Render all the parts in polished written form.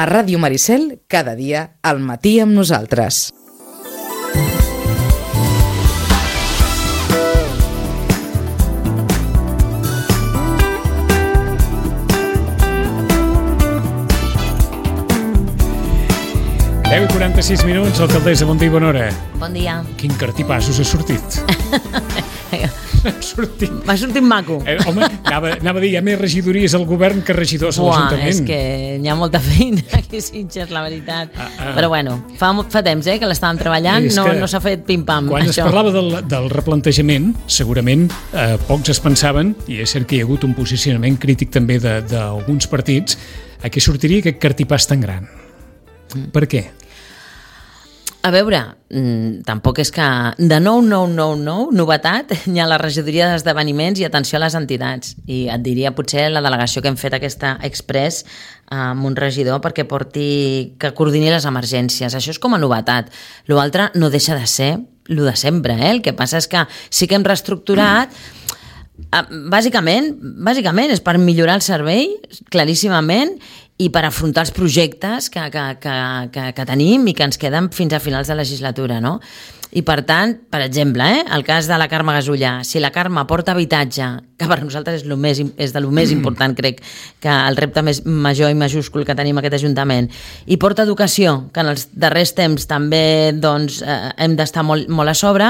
A Ràdio Maricel, cada dia, al matí amb nosaltres. Deu i 46 minuts, alcaldessa, bon dia i bona hora. Bon dia. Quin cartipàs us ha sortit? M'ha sortit maco. Home, anava a dir, hi ha més regidories al govern que regidors a l'Ajuntament. És que hi ha molta feina aquí a Sitges, la veritat. Però bueno, fa temps que l'estàvem treballant, no s'ha fet pim-pam. Quan es parlava del replantejament, segurament pocs es pensaven, i és cert que hi ha hagut un posicionament crític també d'alguns partits, a què sortiria aquest cartipàs tan gran. Per què? A veure, tampoc és que de novetat, hi ha la regidoria d'esdeveniments i atenció a les entitats. I et diria potser la delegació que hem fet aquesta express amb un regidor perquè que coordini les emergències. Això és com a novetat. L'altre no deixa de ser el de sempre. El que passa és que sí que hem reestructurat. Bàsicament és per millorar el servei, claríssimament, i per afrontar els projectes que tenim i que ens queden fins a finals de legislatura, no? I per tant, per exemple, el cas de la Carme Gasullà, si la Carme porta habitatge, que per nosaltres és de lo més important, crec, que el repte més major i majúscul que tenim aquest Ajuntament, i porta educació, que en els darrers temps també hem d'estar molt a sobre,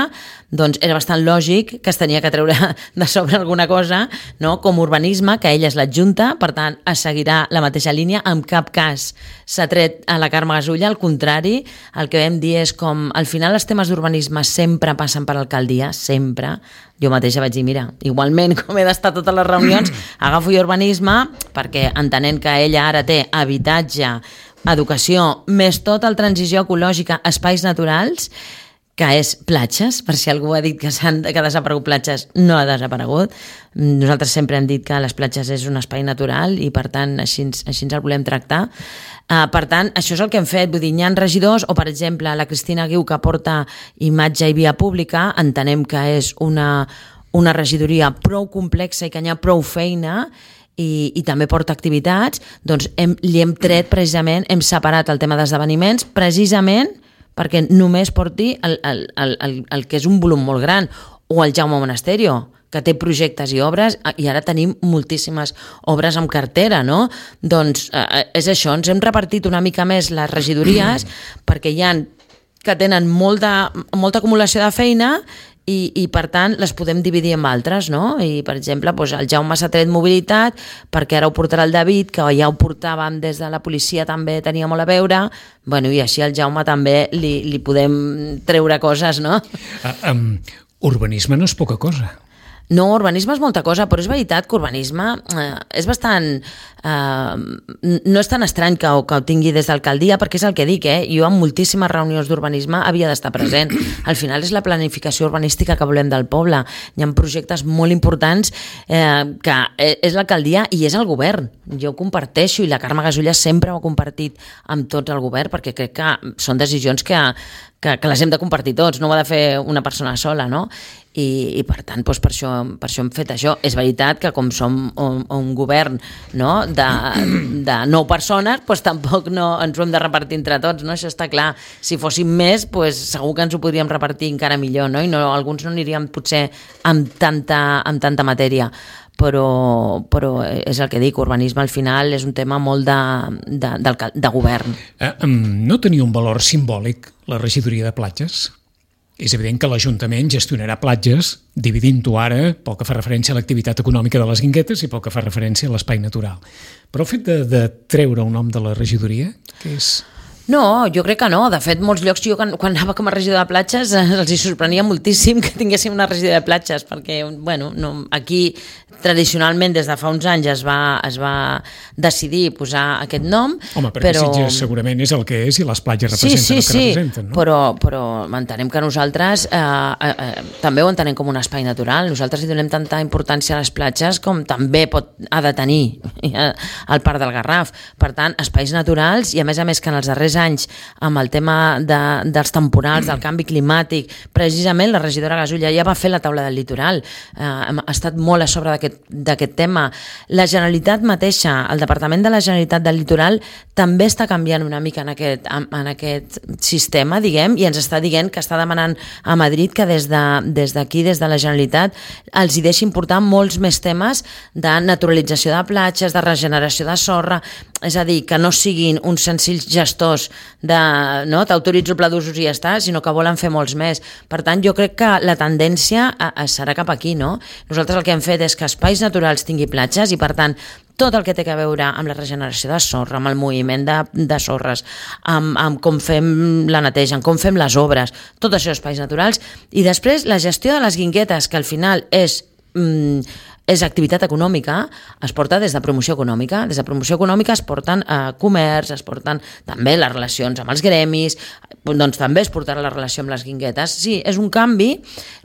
doncs era bastant lògic que es tenia que treure de sobre alguna cosa, no? Com urbanisme, que ella és l'adjunta, per tant, es seguirà la mateixa línia, en cap cas s'ha tret a la Carme Gasullà, al contrari, el que vam dir és com, al final els temes d'urbanisme sempre passen per alcaldia, sempre. Jo mateixa vaig dir, mira, igualment com he d'estar a totes les reunions, agafo jo urbanisme, perquè entenent que ella ara té habitatge, educació, més tot el transició ecològica, espais naturals, que és platges, per si algú ha dit que ha desaparegut platges, no ha desaparegut. Nosaltres sempre hem dit que les platges és un espai natural i per tant així el volem tractar. Per tant, això és el que hem fet, vull dir, hi ha regidors, o per exemple la Cristina Guiu, que porta imatge i via pública, entenem que és una regidoria prou complexa i que hi ha prou feina, i també porta activitats, doncs li hem tret precisament, hem separat el tema d'esdeveniments precisament perquè només porti el que és un volum molt gran, o el Jaume Monasterio, que té projectes i obres, i ara tenim moltíssimes obres en cartera, no? Doncs és això, ens hem repartit una mica més les regidories, perquè hi ha que tenen molta acumulació de feina i per tant les podem dividir en altres, no? I per exemple, el Jaume s'ha tret mobilitat perquè ara ho portarà el David, que ja ho portàvem des de la policia, també tenia molt a veure, bueno, i així al Jaume també li podem treure coses, no? Urbanisme no és poca cosa. No, urbanisme és molta cosa, però és veritat que urbanisme és bastant... no és tan estrany que ho tingui des d'alcaldia, perquè és el que dic, jo en moltíssimes reunions d'urbanisme havia d'estar present. Al final és la planificació urbanística que volem del poble. Hi ha projectes molt importants que és l'alcaldia i és el govern. Jo ho comparteixo, i la Carme Gasullà sempre ho ha compartit amb tots el govern, perquè crec que són decisions que les hem de compartir tots, no ho ha de fer una persona sola, no? I per tant, per això hem fet això. És veritat que com som un govern, no, de 9 persones, tampoc no ens ho hem de repartir entre tots, no? Això està clar. Si fóssim més, segur que ens ho podríem repartir encara millor, no? I alguns no aniríem potser amb tanta matèria. Però és el que dic, urbanisme al final és un tema molt de govern. No tenia un valor simbòlic la regidoria de platges? És evident que l'Ajuntament gestionarà platges dividint-ho ara pel que fa referència a l'activitat econòmica de les Guinguetes i pel que fa referència a l'espai natural. Però el fet de treure un nom de la regidoria, què és? No, jo crec que no. De fet, molts llocs, jo quan anava com a regidor de platges els hi sorprenia moltíssim que tinguéssim una regidoria de platges, perquè aquí tradicionalment des de fa uns anys es va decidir posar aquest nom. Home, perquè Sitges segurament és el que és i les platges representen el que representen, no? Però entenem que nosaltres també ho entenem com un espai natural. Nosaltres hi donem tanta importància a les platges com també ha de tenir el Parc del Garraf. Per tant, espais naturals, i a més que en els darrers darrers anys amb el tema dels temporals, del canvi climàtic, precisament la regidora Gasulla ja va fer la taula del litoral, ha estat molt a sobre d'aquest tema. La Generalitat mateixa, el Departament de la Generalitat del Litoral també està canviant una mica en aquest sistema, diguem, i ens està dient que està demanant a Madrid que des d'aquí, des de la Generalitat, els hi deixin portar molts més temes de naturalització de platges, de regeneració de sorra, és a dir, que no siguin uns senzills gestors de t'autoritzo el pla d'usos i ja està, sinó que volen fer molts més. Per tant, jo crec que la tendència serà cap aquí, no? Nosaltres el que hem fet és que espais naturals tingui platges i, per tant, tot el que té a veure amb la regeneració de sorra, amb el moviment de sorres, amb com fem la neteja, amb com fem les obres, tot això espais naturals, i després la gestió de les guinguetes, que al final és activitat econòmica, es porta des de promoció econòmica. Des de promoció econòmica es porten comerç, es porten també les relacions amb els gremis, doncs també es portarà la relació amb les guinguetes. Sí, és un canvi,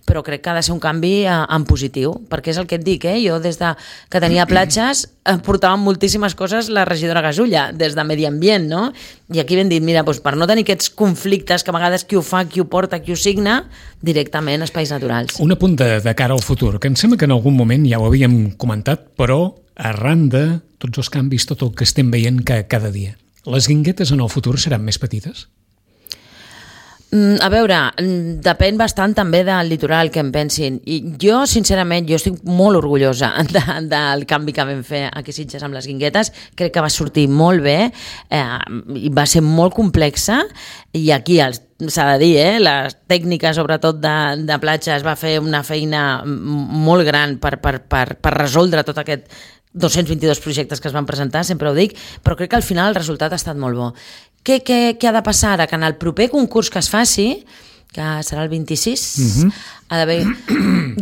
però crec que ha de ser un canvi en positiu, perquè és el que et dic, jo des que tenia platges portava moltíssimes coses la regidora Gasulla, des de Medi Ambient, no? I aquí ben dit, mira, doncs per no tenir aquests conflictes que a vegades qui ho fa, qui ho porta, qui ho signa, directament espais naturals. Un apunt de cara al futur, que em sembla que en algun moment ja ho havíem comentat, però arran de tots els canvis, tot el que estem veient cada dia. Les guinguetes en el futur seran més petites? A veure, depèn bastant també del litoral que em pensin. I jo, sincerament, estic molt orgullosa del canvi que vam fer aquí a Sitges amb les guinguetes. Crec que va sortir molt bé, i va ser molt complexa, i aquí s'ha de dir, les tècniques sobretot de platja es va fer una feina molt gran per resoldre tot aquest 222 projectes que es van presentar, sempre ho dic, però crec que al final el resultat ha estat molt bo. Què ha de passar? Que en el proper concurs que es faci, que serà el 26, ha d'haver...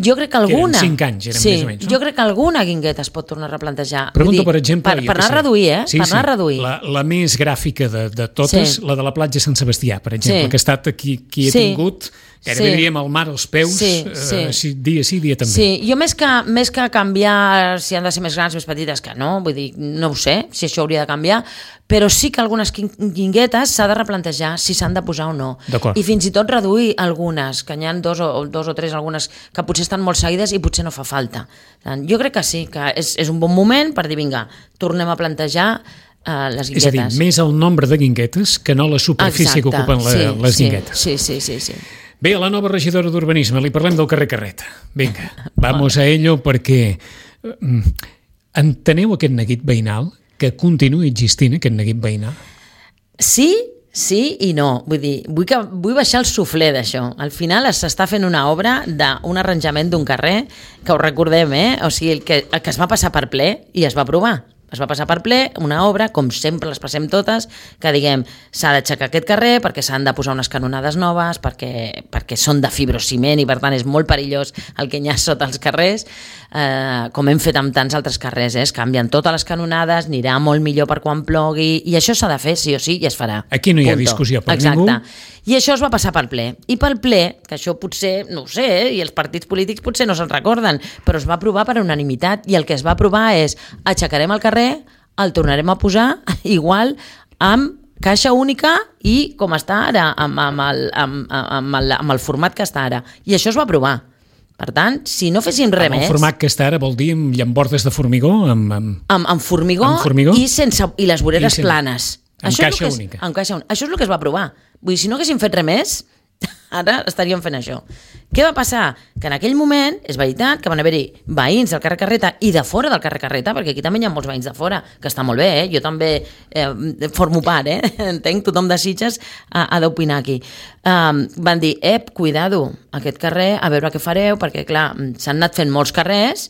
Jo crec que alguna... Eren 5 anys, més o menys, no? Jo crec que alguna guingueta es pot tornar a replantejar. Pregunto, per exemple... Per anar a reduir, Sí, per anar a reduir. La més gràfica de totes, la de la platja Sant Sebastià, per exemple, que ha estat qui he tingut... Gairebé diríem el mar als peus, dia sí, dia també. Sí, jo més que canviar si han de ser més grans, més petites, que no, vull dir, no ho sé, si això hauria de canviar, però sí que algunes guinguetes s'ha de replantejar si s'han de posar o no. I fins i tot reduir algunes, que n'hi ha dos o tres, algunes que potser estan molt seguides i potser no fa falta. Jo crec que sí, que és un bon moment per dir, vinga, tornem a plantejar les guinguetes. És a dir, més el nombre de guinguetes que no la superfície que ocupen les guinguetes. Sí. Bé, a la nova regidora d'Urbanisme li parlem del carrer Carreta. Vinga, vamos a ello, perquè enteneu aquest neguit veïnal, que continuï existint aquest neguit veïnal? Sí i no. Vull dir, vull baixar el suflé d'això. Al final s'està fent una obra d'un arranjament d'un carrer, que ho recordem, o sigui, que es va passar per ple i es va aprovar. Es va passar per ple una obra, com sempre les passem totes, que diguem, s'ha d'aixecar aquest carrer perquè s'han de posar unes canonades noves, perquè són de fibrociment i per tant és molt perillós el que hi ha sota els carrers, com hem fet amb tants altres carrers, es canvien totes les canonades, anirà molt millor per quan plogui, i això s'ha de fer sí o sí i es farà. Aquí no hi ha discussió per ningú. I això es va passar pel ple. I pel ple, que això potser, no ho sé, i els partits polítics potser no se'n recorden, però es va aprovar per unanimitat, i el que es va aprovar és aixecarem el carrer, el tornarem a posar igual amb caixa única i com està ara, amb el format que està ara. I això es va aprovar. Per tant, si no fessin res més... El format que està ara vol dir amb llambordes de formigó? Amb formigó i les voreres planes. Amb caixa única. Això és el que es va aprovar. Vull dir, si no haguessin fet res més, ara estaríem fent això. Què va passar? Que en aquell moment, és veritat, que van haver-hi veïns del carrer Carreta i de fora del carrer Carreta, perquè aquí també hi ha molts veïns de fora, que està molt bé, jo també formo part, entenc, tothom de Sitges ha d'opinar aquí. Van dir, cuidado, aquest carrer, a veure què fareu, perquè clar, s'han anat fent molts carrers,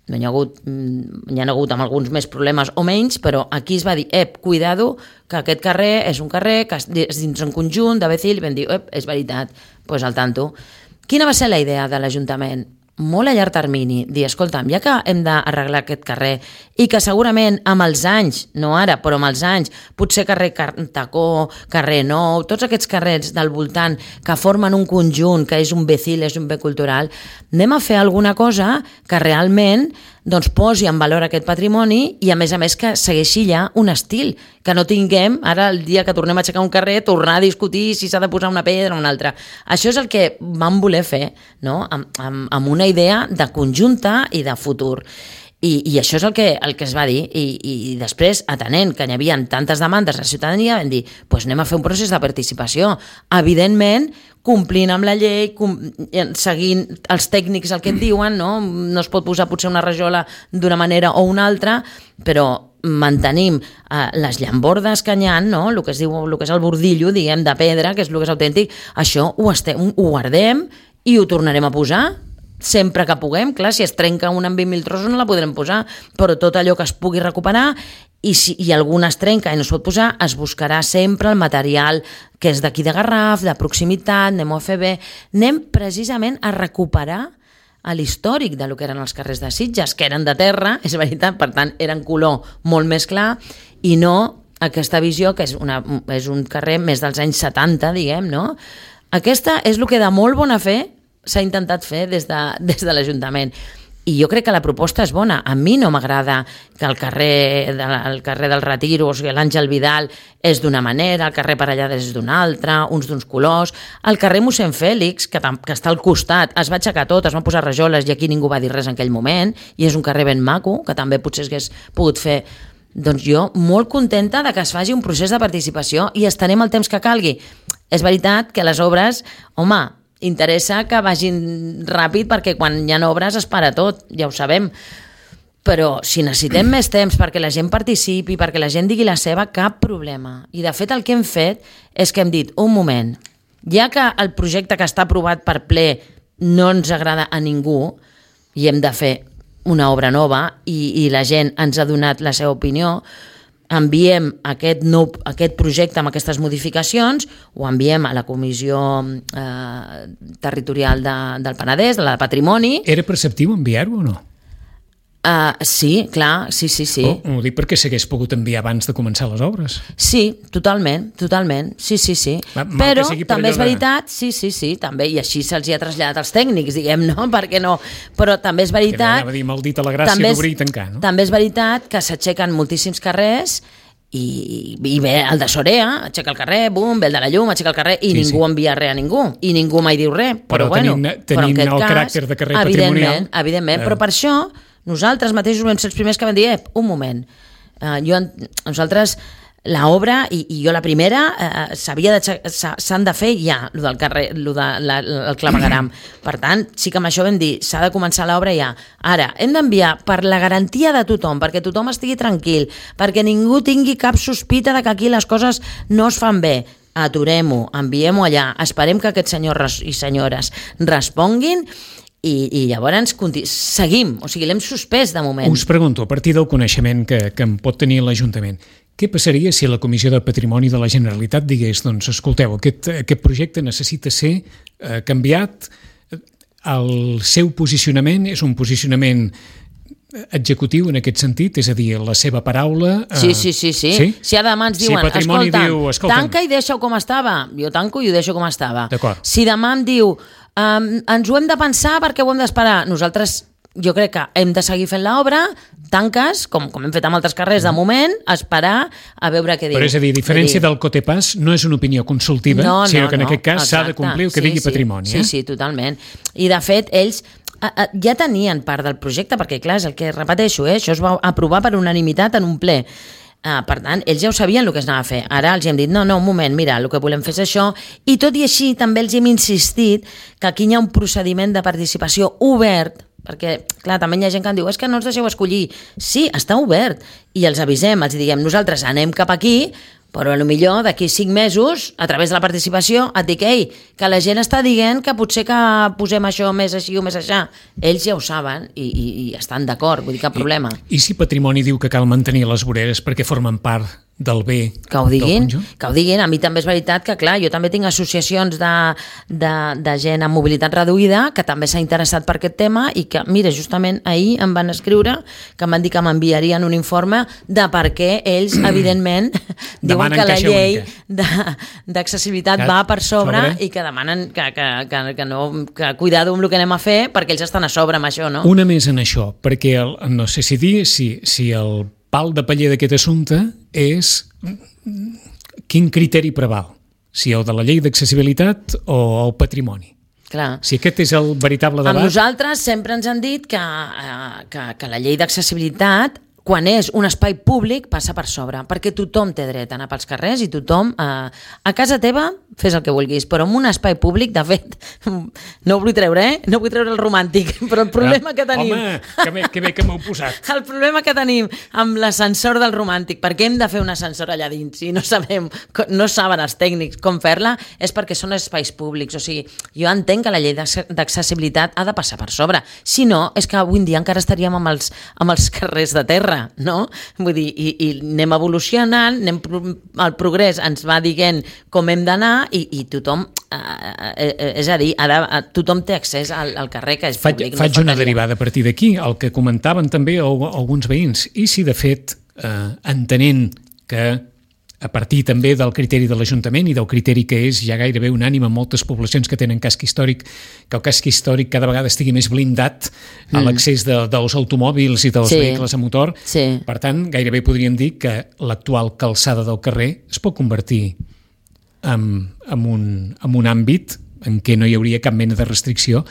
n'hi ha hagut amb alguns més problemes o menys, però aquí es va dir, cuidado, que aquest carrer és un carrer que és dins un conjunt de Becil, i vam dir, és veritat, doncs al tanto. Quina va ser la idea de l'Ajuntament? Molt a llarg termini, dir, escolta'm, ja que hem d'arreglar aquest carrer i que segurament amb els anys, no ara, però amb els anys, potser carrer Tacó, carrer Nou, tots aquests carrers del voltant que formen un conjunt, que és un Becil, és un bé cultural, anem a fer alguna cosa que realment doncs posi en valor aquest patrimoni i a més que segueixi ja un estil, que no tinguem ara el dia que tornem a aixecar un carrer tornar a discutir si s'ha de posar una pedra o una altra. Això és el que vam voler fer, no? amb una idea de conjunta i de futur. I això és el que es va dir i després, atenent que hi havia tantes demandes a la ciutadania, vam dir, doncs anem a fer un procés de participació, evidentment complint amb la llei, seguint els tècnics el que et diuen, no es pot posar potser una rajola d'una manera o una altra, però mantenim les llambordes que hi ha, el que es diu, el que és el bordillo, diguem, de pedra, que és el que és autèntic, això ho guardem i ho tornarem a posar sempre que puguem. Clar, si es trenca una amb 20.000 trossos no la podrem posar, però tot allò que es pugui recuperar i si alguna es trenca i no es pot posar, es buscarà sempre el material que és d'aquí de Garraf, de proximitat, anem a fer bé, anem precisament a recuperar l'històric de lo que eren els carrers de Sitges, que eren de terra, és veritat, per tant eren color molt més clar i no aquesta visió que és un carrer més dels anys 70, diguem, no? Aquesta és el que de molt bona fe s'ha intentat fer des de l'Ajuntament. I jo crec que la proposta és bona. A mi no m'agrada que el carrer del Retiro, o sigui, l'Àngel Vidal és d'una manera, el carrer Parellades és d'una altra, uns d'uns colors. El carrer Mossèn Fèlix, que està al costat, es va aixecar tot, es van posar rajoles i aquí ningú va dir res en aquell moment, i és un carrer ben maco, que també potser s'hagués pogut fer. Doncs jo molt contenta de que es faci un procés de participació i estarem el temps que calgui. És veritat que les obres, home, interessa que vagin ràpid perquè quan hi ha obres es para tot, ja ho sabem. Però si necessitem més temps perquè la gent participi, perquè la gent digui la seva, cap problema. I de fet el que hem fet és que hem dit, un moment, ja que el projecte que està aprovat per ple no ens agrada a ningú i hem de fer una obra nova i la gent ens ha donat la seva opinió, enviem aquest projecte amb aquestes modificacions, ho enviem a la Comissió Territorial del Penedès, de la Patrimoni. Era preceptiu enviar-ho o no? Sí, clar, sí. Ho dic perquè s'hagués pogut enviar abans de començar les obres. Sí, totalment, sí. Però també és veritat, sí, també, i així se'ls hi ha traslladat als tècnics, diguem, no? Perquè no, però també és veritat... Que anava a dir maldita la gràcia d'obrir i tancar, no? També és veritat que s'aixequen moltíssims carrers i ve el de Sorea, aixeca el carrer, bum, ve el de la llum, aixeca el carrer i ningú envia res a ningú, i ningú mai diu res. Però tenint el caràcter de carrer patrimonial... Evidentment, però per això nosaltres mateixos vam ser els primers que vam dir, un moment, nosaltres l'obra, i jo la primera, s'han de fer ja, el del carrer, el clavegueram. Per tant, sí que amb això vam dir, s'ha de començar l'obra ja. Ara, hem d'enviar per la garantia de tothom, perquè tothom estigui tranquil, perquè ningú tingui cap sospita de que aquí les coses no es fan bé. Aturem-ho, enviem-ho allà, esperem que aquests senyors i senyores responguin i llavors seguim, o sigui, l'hem suspès de moment. Us pregunto, a partir del coneixement que en pot tenir l'Ajuntament, què passaria si la Comissió de Patrimoni de la Generalitat digués, doncs, escolteu, aquest projecte necessita ser canviat, el seu posicionament és un posicionament executiu en aquest sentit, és a dir, la seva paraula... Sí. Si demà ens diuen, tanca i deixa-ho com estava, jo tanco i ho deixo com estava. Si demà em diu, ens ho hem de pensar perquè ho hem d'esperar, nosaltres jo crec que hem de seguir fent l'obra, tanques, com hem fet amb altres carrers de moment, esperar a veure què diu. Però és a dir, a diferència del Cotepàs, no és una opinió consultiva, sinó que en aquest cas s'ha de complir el que digui Patrimoni. Sí, totalment. I de fet, ells ja tenien part del projecte, perquè clar, és el que repeteixo, això es va aprovar per unanimitat en un ple. Per tant, ells ja ho sabien el que es anava a fer. Ara els hem dit, no, un moment, mira, el que volem fer és això, i tot i així també els hem insistit que aquí hi ha un procediment de participació obert, perquè, clar, també hi ha gent que em diu, és que no ens deixeu escollir. Sí, està obert, i els avisem, els diguem, nosaltres anem cap aquí, però potser d'aquí 5 mesos, a través de la participació, et dic, que la gent està dient que potser que posem això més així o més aixà. Ells ja ho saben i estan d'acord, vull dir, cap problema. I si Patrimoni diu que cal mantenir les voreres perquè formen part del bé que ho diguin, del conjunt. que ho diguin. A mi també és veritat que, clar, jo també tinc associacions de gent amb mobilitat reduïda que també s'ha interessat per aquest tema i que, mira, justament ahir em van escriure que em van dir que m'enviarien un informe de per què ells, evidentment, diuen que la llei d'accessibilitat va per sobre i que demanen que cuidado amb el que anem a fer perquè ells estan a sobre amb això, no? Una més en això, perquè no sé si dir si el pal de paller d'aquest assumpte és quin criteri preval, si el de la llei d'accessibilitat o el patrimoni. Clar. Si aquest és el veritable debat... Amb nosaltres sempre ens han dit que la llei d'accessibilitat, quan és un espai públic, passa per sobre, perquè tothom té dret a anar pels carrers i tothom... A casa teva fes el que vulguis, però en un espai públic, de fet, no ho vull treure, no vull treure el romàntic, però el problema que tenim... Home, que bé que m'heu posat. El problema que tenim amb l'ascensor del romàntic, perquè hem de fer un ascensor allà dins i no saben els tècnics com fer-la, és perquè són espais públics. O sigui, jo entenc que la llei d'accessibilitat ha de passar per sobre. Si no, és que avui en dia encara estaríem amb els carrers de terra, no? Vull dir, i anem evolucionant, el progrés ens va dient com hem d'anar i tothom, és a dir, tothom té accés al carrer que és públic. Faig una derivada a partir d'aquí, el que comentaven també alguns veïns, i si de fet, entenent que a partir també del criteri de l'Ajuntament i del criteri que és ja gairebé unànime en moltes poblacions que tenen casc històric, que el casc històric cada vegada estigui més blindat a l'accés dels automòbils i dels vehicles a motor. Sí. Per tant, gairebé podríem dir que l'actual calçada del carrer es pot convertir en un àmbit en què no hi hauria cap mena de restricció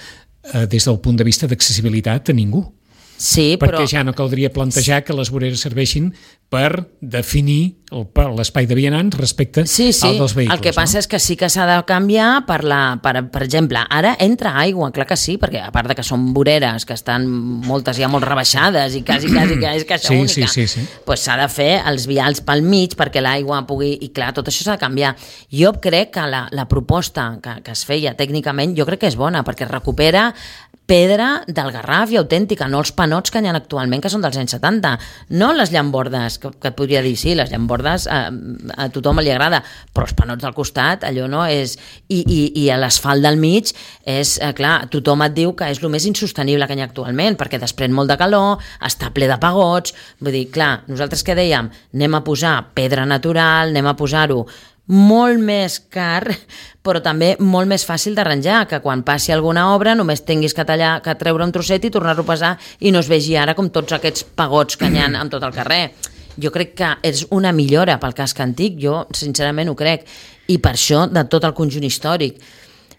des del punt de vista d'accessibilitat a ningú. Sí, perquè ja no caldria plantejar que les voreres serveixin per definir l'espai de vianants respecte al dels vehicles. El que passa és que sí que s'ha de canviar per exemple, ara entra aigua, clar que sí, perquè a part de que són voreres que estan moltes ja molt rebaixades i quasi que és caixa única, doncs s'ha de fer els vials pel mig perquè l'aigua pugui... I clar, tot això s'ha de canviar. Jo crec que la proposta que es feia tècnicament jo crec que és bona perquè recupera pedra del Garraf i autèntica, no els panots que hi ha actualment, que són dels anys 70, no les llambordes, que et podria dir, sí, les llambordes a tothom li agrada, però els panots del costat, allò no és... I l'asfalt del mig és, clar, tothom et diu que és el més insostenible que hi ha actualment, perquè desprèn molt de calor, està ple de pagots, vull dir, clar, nosaltres què dèiem? Anem a posar pedra natural, anem a posar-ho molt més car, però també molt més fàcil d'arranjar, que quan passi alguna obra només tinguis que treure un trosset i tornar-ho a pesar i no es vegi ara com tots aquests pagots que hi ha en tot el carrer. Jo crec que és una millora pel casc antic, jo sincerament ho crec, i per això de tot el conjunt històric.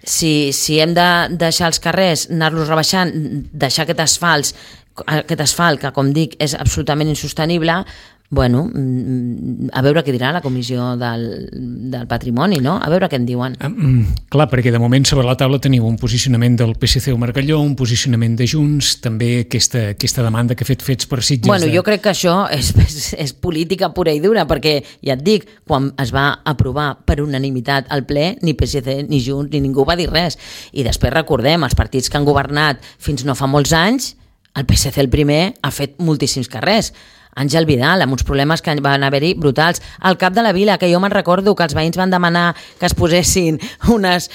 Si hem de deixar els carrers, anar-los rebaixant, deixar aquest asfalt que, com dic, és absolutament insostenible, bueno, a veure què dirà la Comissió del Patrimoni, no? A veure què en diuen. Clar, perquè de moment sobre la taula teniu un posicionament del PSC o Margalló, un posicionament de Junts, també aquesta demanda que fets per Sitges... Bueno, jo crec que això és política pura i dura, perquè, ja et dic, quan es va aprovar per unanimitat al ple, ni PSC, ni Junts, ni ningú va dir res. I després recordem, els partits que han governat fins no fa molts anys, el PSC el primer ha fet moltíssims carrers. Àngel Vidal, amb uns problemes que van haver-hi brutals. Al cap de la vila, que jo me'n recordo que els veïns van demanar que es posessin unes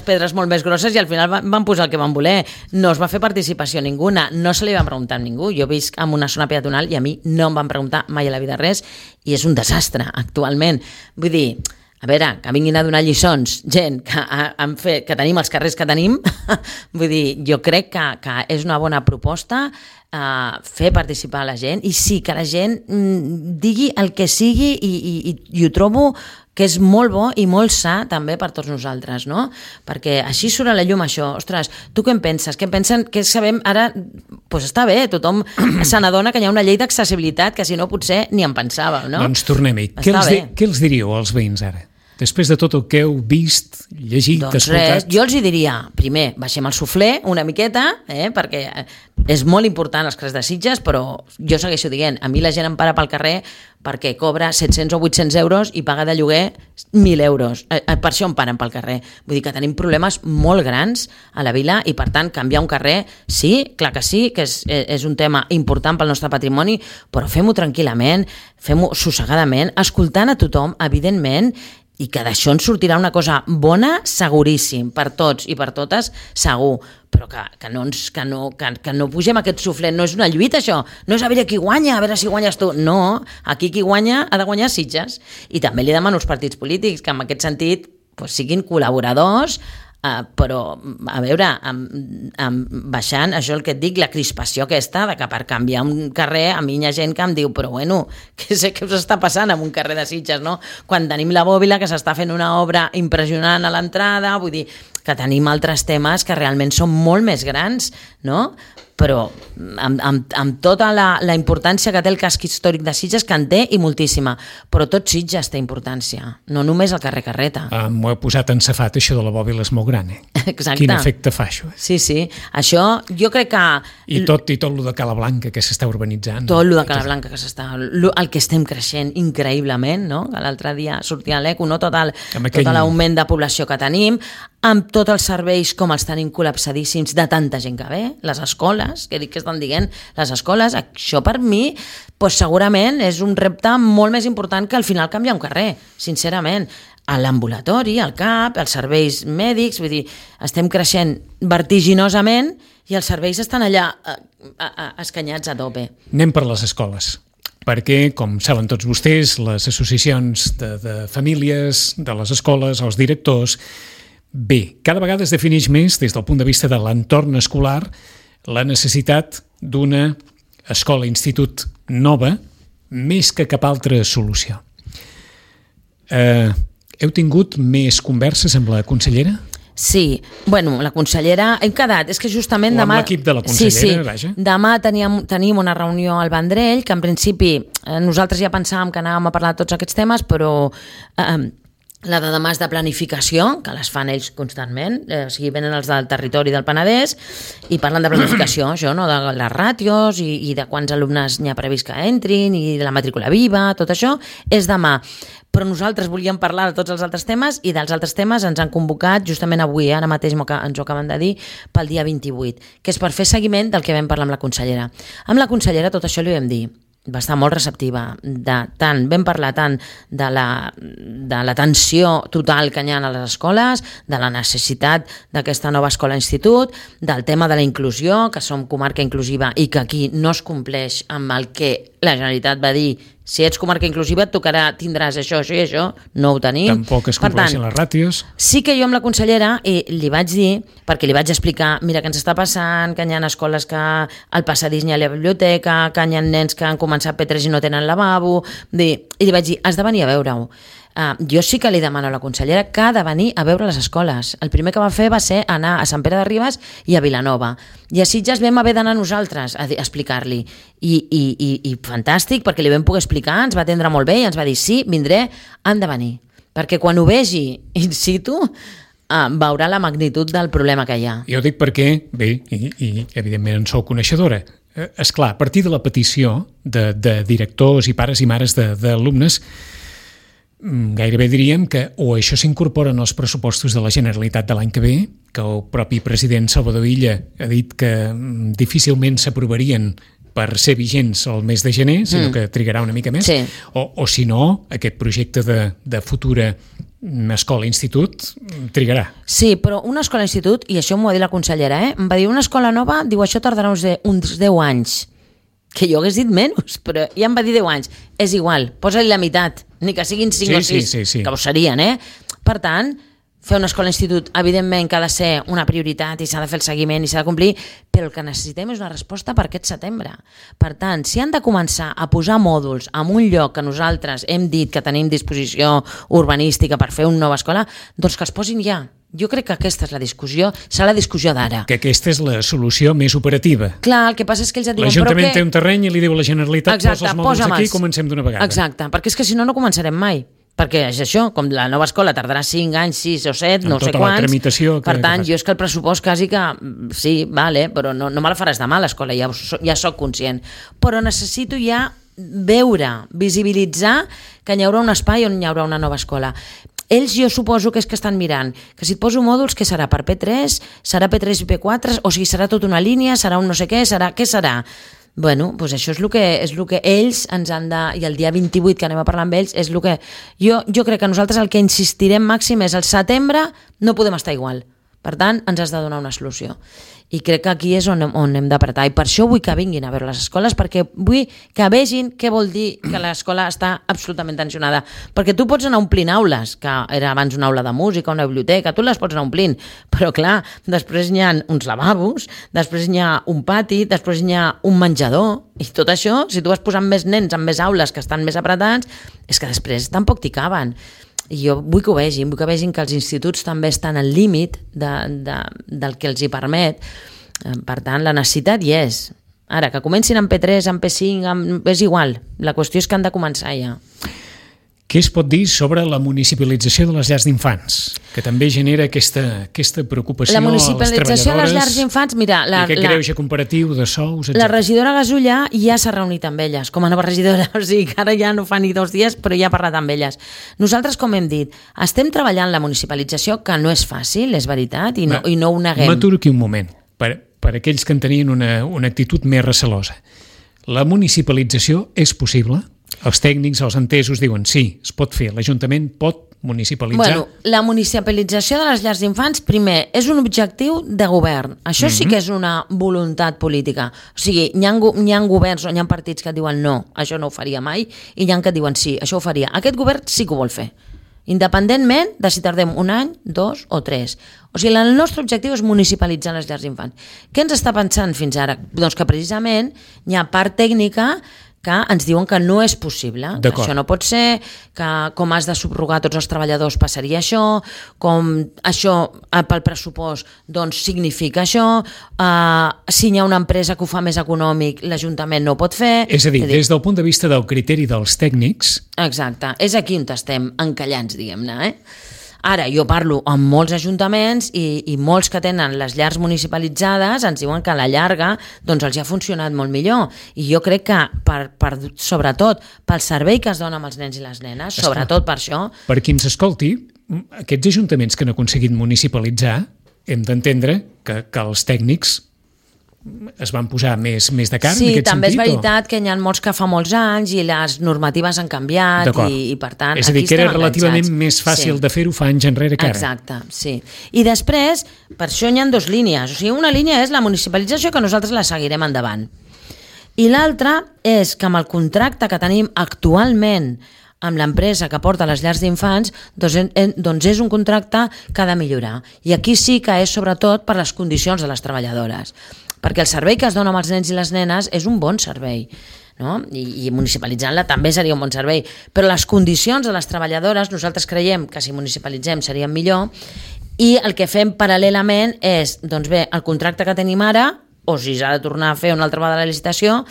pedres molt més grosses i al final van posar el que van voler. No es va fer participació ninguna, no se li van preguntar a ningú. Jo visc en una zona peatonal i a mi no em van preguntar mai a la vida res i és un desastre actualment. Vull dir, a veure, que vinguin a donar lliçons gent que tenim els carrers que tenim, vull dir, jo crec que és una bona proposta fer participar la gent i sí, que la gent digui el que sigui i ho trobo que és molt bo i molt sa també per tots nosaltres, no? Perquè així surt a la llum això. Ostres, tu què en penses? Què pensen? Què sabem? Ara, doncs està bé, tothom se n'adona que hi ha una llei d'accessibilitat que si no potser ni en pensàveu, no? Doncs tornem-hi. Què els diríeu als veïns ara? Després de tot el que heu vist, llegit, escoltat... Jo els hi diria, primer, baixem el suflé una miqueta, perquè és molt important els carrers de Sitges, però jo segueixo dient, a mi la gent em para pel carrer perquè cobra 700 o 800 euros i paga de lloguer 1.000 euros. Per això em paren pel carrer. Vull dir que tenim problemes molt grans a la vila i, per tant, canviar un carrer, sí, clar que sí, que és un tema important pel nostre patrimoni, però fem-ho tranquil·lament, fem-ho sossegadament, escoltant a tothom, evidentment, i que d'això ens sortirà una cosa bona, seguríssim, per tots i per totes, segur, però que no pugem aquest suflet, no és una lluita això, no és a veure qui guanya, a veure si guanyes tu, no, aquí qui guanya ha de guanyar Sitges, i també li demano als partits polítics que en aquest sentit siguin col·laboradors, però a veure, baixant això el que et dic, la crispació aquesta de que per canviar un carrer a mi hi ha gent que em diu però bueno, què sé què us està passant en un carrer de Sitges, no? Quan tenim la Bòbila que s'està fent una obra impressionant a l'entrada, vull dir que tenim altres temes que realment són molt més grans, no? Però amb tota la importància que té el casc històric de Sitges, que en té i moltíssima, però tot Sitges té importància, no només el carrer Carreta. M'ho he posat en safat, això de la Bòbila és molt gran, Exacte. Quin efecte fa això? Sí, això jo crec que... I tot lo de Cala Blanca que s'està urbanitzant. Tot lo de Cala Blanca que s'està... El que estem creixent increïblement, no? L'altre dia sortia a l'ECO, no? Tot l'augment de població que tenim, amb tots els serveis com els tenim col·lapsadíssims de tanta gent que ve, les escoles, que dic que estan dient, les escoles, això per mi segurament és un repte molt més important que al final canviar un carrer, sincerament. A l'ambulatori, al CAP, els serveis mèdics, vull dir, estem creixent vertiginosament i els serveis estan allà escanyats a tope. Anem per les escoles, perquè, com saben tots vostès, les associacions de famílies, de les escoles, els directors... Bé, cada vegada es defineix més, des del punt de vista de l'entorn escolar, la necessitat d'una escola-institut nova, més que cap altra solució. Heu tingut més converses amb la consellera? Sí, la consellera... Hem quedat, és que justament demà... O amb l'equip de la consellera, vaja. Demà tenim una reunió al Vendrell, que en principi nosaltres ja pensàvem que anàvem a parlar de tots aquests temes, però... La de demà és de planificació, que les fan ells constantment, venen els del territori del Penedès i parlen de planificació, això, no? De les ràtios i de quants alumnes n'hi ha previst que entrin i de la matrícula viva, tot això és demà. Però nosaltres volíem parlar de tots els altres temes i dels altres temes ens han convocat justament avui, ara mateix ens ho acaben de dir, pel dia 28, que és per fer seguiment del que vam parlar amb la consellera. Amb la consellera tot això li vam dir. Va estar molt receptiva, vam parlar tant de la tensió total que hi ha a les escoles, de la necessitat d'aquesta nova escola-institut, del tema de la inclusió, que som comarca inclusiva i que aquí no es compleix amb el que la Generalitat va dir, si ets comarca inclusiva et tindràs això i això, no ho tenim. Tampoc es compleixen les ràtios. Sí que jo amb la consellera li vaig dir, perquè li vaig explicar, mira què ens està passant, que hi ha escoles que al passadís n'hi ha la biblioteca, que hi ha nens que han començat P3 i no tenen lavabo, i li vaig dir, has de venir a veure-ho. Jo sí que li demano a la consellera que ha de venir a veure les escoles. El primer que va fer va ser anar a Sant Pere de Ribes i a Vilanova. I a Sitges vam haver d'anar nosaltres a explicar-li. I fantàstic, perquè li vam poder explicar, ens va atendre molt bé i ens va dir, sí, vindré, han de venir. Perquè quan ho vegi in situ, veurà la magnitud del problema que hi ha. Jo dic perquè, bé, i evidentment en sou coneixedora, esclar, a partir de la petició de directors i pares i mares d'alumnes, gairebé diríem que o això s'incorpora en els pressupostos de la Generalitat de l'any que ve, que el propi president Salvador Illa ha dit que difícilment s'aprovarien per ser vigents el mes de gener, sinó que trigarà una mica més, sí. o si no, aquest projecte de futura escola-institut trigarà. Sí, però una escola-institut, i això m'ho va dir la consellera, em va dir una escola nova, diu això tardarà uns 10 anys. Que jo hagués dit menys, però ja em va dir 10 anys. És igual, posa-li la meitat, ni que siguin 5 o 6, sí. que ho serien, Per tant, fer una escola-institut, evidentment que ha de ser una prioritat i s'ha de fer el seguiment i s'ha de complir, però el que necessitem és una resposta per aquest setembre. Per tant, si han de començar a posar mòduls en un lloc que nosaltres hem dit que tenim disposició urbanística per fer una nova escola, doncs que els posin ja. Jo crec que aquesta és la discussió, serà la discussió d'ara. Que aquesta és la solució més operativa. Clar, el que passa és que ells et diuen... L'Ajuntament té un terreny i li diu a la Generalitat, posa els mòduls aquí i comencem d'una vegada. Exacte, perquè és que si no, no començarem mai. perquè és això, com la nova escola tardarà 5 anys, 6 o 7, no sé tota la quants, tramitació per tant, jo és que el pressupost quasi que sí, vale, però no me la faràs demà l'escola, ja soc conscient, però necessito ja veure, visibilitzar que hi haurà un espai on hi haurà una nova escola. Ells jo suposo que és que estan mirant que si et poso mòduls, què serà? Per P3? Serà P3 i P4? O sigui, serà tota una línia? Serà un no sé què? Què serà? Bueno, doncs això és el que ells ens han de... I el dia 28 que anem a parlar amb ells és el que... Jo crec que nosaltres el que insistirem màxim és el setembre no podem estar igual. Per tant, ens has de donar una solució. I crec que aquí és on hem d'apretar. I per això vull que vinguin a veure les escoles, perquè vull que vegin què vol dir que l'escola està absolutament tensionada. Perquè tu pots anar omplint aules, que era abans una aula de música, una biblioteca, tu les pots anar omplint, però clar, després n'hi ha uns lavabos, després n'hi ha un pati, després n'hi ha un menjador, i tot això, si tu vas posant més nens en més aules que estan més apretats, és que després tampoc t'hi caben. I jo vull que ho vegin que els instituts també estan al límit del que els hi permet. Per tant, la necessitat hi és. Ara, que comencin amb P3, amb P5, és igual. La qüestió és que han de començar ja. Què es pot dir sobre la municipalització de les llars d'infants? Que també genera aquesta preocupació a les treballadores. La municipalització de les llars d'infants, mira... I aquest greuge comparatiu de sous, etc. La regidora Gasulla ja s'ha reunit amb elles, com a nova regidora, o sigui que ara ja no fa ni 2 dies, però ja ha parlat amb elles. Nosaltres, com hem dit, estem treballant la municipalització, que no és fàcil, és veritat, i no ho neguem. M'aturo aquí un moment, per aquells que en tenien una actitud més recelosa. La municipalització és possible? Els tècnics, els entesos diuen sí, es pot fer, l'Ajuntament pot municipalitzar. Bueno, la municipalització de les llars d'infants, primer, és un objectiu de govern. Això sí que és una voluntat política. O sigui, hi ha governs o hi ha partits que diuen no, això no ho faria mai, i hi ha que diuen sí, això ho faria. Aquest govern sí que ho vol fer, independentment de si tardem 1 any, 2 o 3. O sigui, el nostre objectiu és municipalitzar les llars d'infants. Què ens està pensant fins ara? Doncs que precisament hi ha part tècnica que ens diuen que no és possible, que això no pot ser, que com has de subrogar tots els treballadors passaria això, com això pel pressupost doncs significa això, si hi ha una empresa que ho fa més econòmic, l'Ajuntament no ho pot fer... És a dir, des del punt de vista del criteri dels tècnics... Exacte, és aquí on estem encallants, diguem-ne, Ara, jo parlo amb molts ajuntaments i molts que tenen les llars municipalitzades ens diuen que a la llarga doncs els ha funcionat molt millor. I jo crec que, sobretot, pel servei que es dona amb els nens i les nenes, sobretot per això... Per qui ens escolti, aquests ajuntaments que han aconseguit municipalitzar, hem d'entendre que els tècnics es van posar més de cara en aquest sentit? Sí, també és veritat que hi ha molts que fa molts anys i les normatives han canviat i per tant... És a dir, que era relativament més fàcil de fer-ho fa anys enrere que ara. Exacte, sí. I després, per això hi ha 2 línies. O sigui, una línia és la municipalització, que nosaltres la seguirem endavant. I l'altra és que amb el contracte que tenim actualment amb l'empresa que porta les llars d'infants, doncs és un contracte que ha de millorar. I aquí sí que és sobretot per les condicions de les treballadores. Perquè el servei que es dona amb els nens i les nenes és un bon servei, no? I municipalitzant-la també seria un bon servei, però les condicions de les treballadores nosaltres creiem que si municipalitzem serien millor, i el que fem paral·lelament és, doncs bé, el contracte que tenim ara, o si s'ha de tornar a fer una altra vegada la licitació,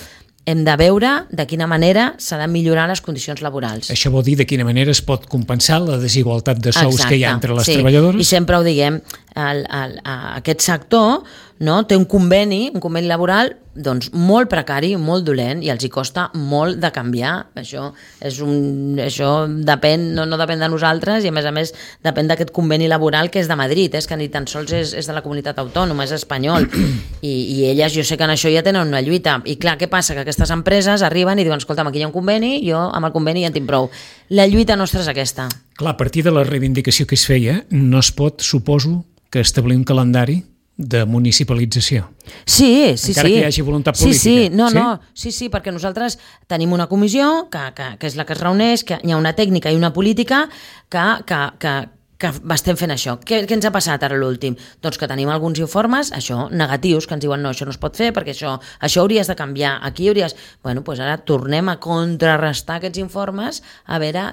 hem de veure de quina manera s'ha de millorar les condicions laborals. Això vol dir de quina manera es pot compensar la desigualtat de sous que hi ha entre les treballadores? I sempre ho diguem, aquest sector té un conveni laboral doncs, molt precari, molt dolent, i els hi costa molt de canviar. Això depèn, no depèn de nosaltres, i a més depèn d'aquest conveni laboral que és de Madrid, que ni tan sols és de la comunitat autònoma, és espanyol. I elles, jo sé que en això ja tenen una lluita. I clar, què passa? Que aquestes empreses arriben i diuen, escolta'm, aquí hi ha un conveni, jo amb el conveni ja en tinc prou. La lluita nostra és aquesta. Clar, a partir de la reivindicació que es feia, no es pot, suposo, que establir un calendari de municipalització. Sí. Encara que hi hagi voluntat política. Sí, perquè nosaltres tenim una comissió que és la que es reuneix, que hi ha una tècnica i una política que estem fent això. Què ens ha passat ara l'últim? Doncs que tenim alguns informes, negatius, que ens diuen no, això no es pot fer perquè això hauries de canviar, aquí hauries... Bueno, doncs ara tornem a contrarrestar aquests informes, a veure,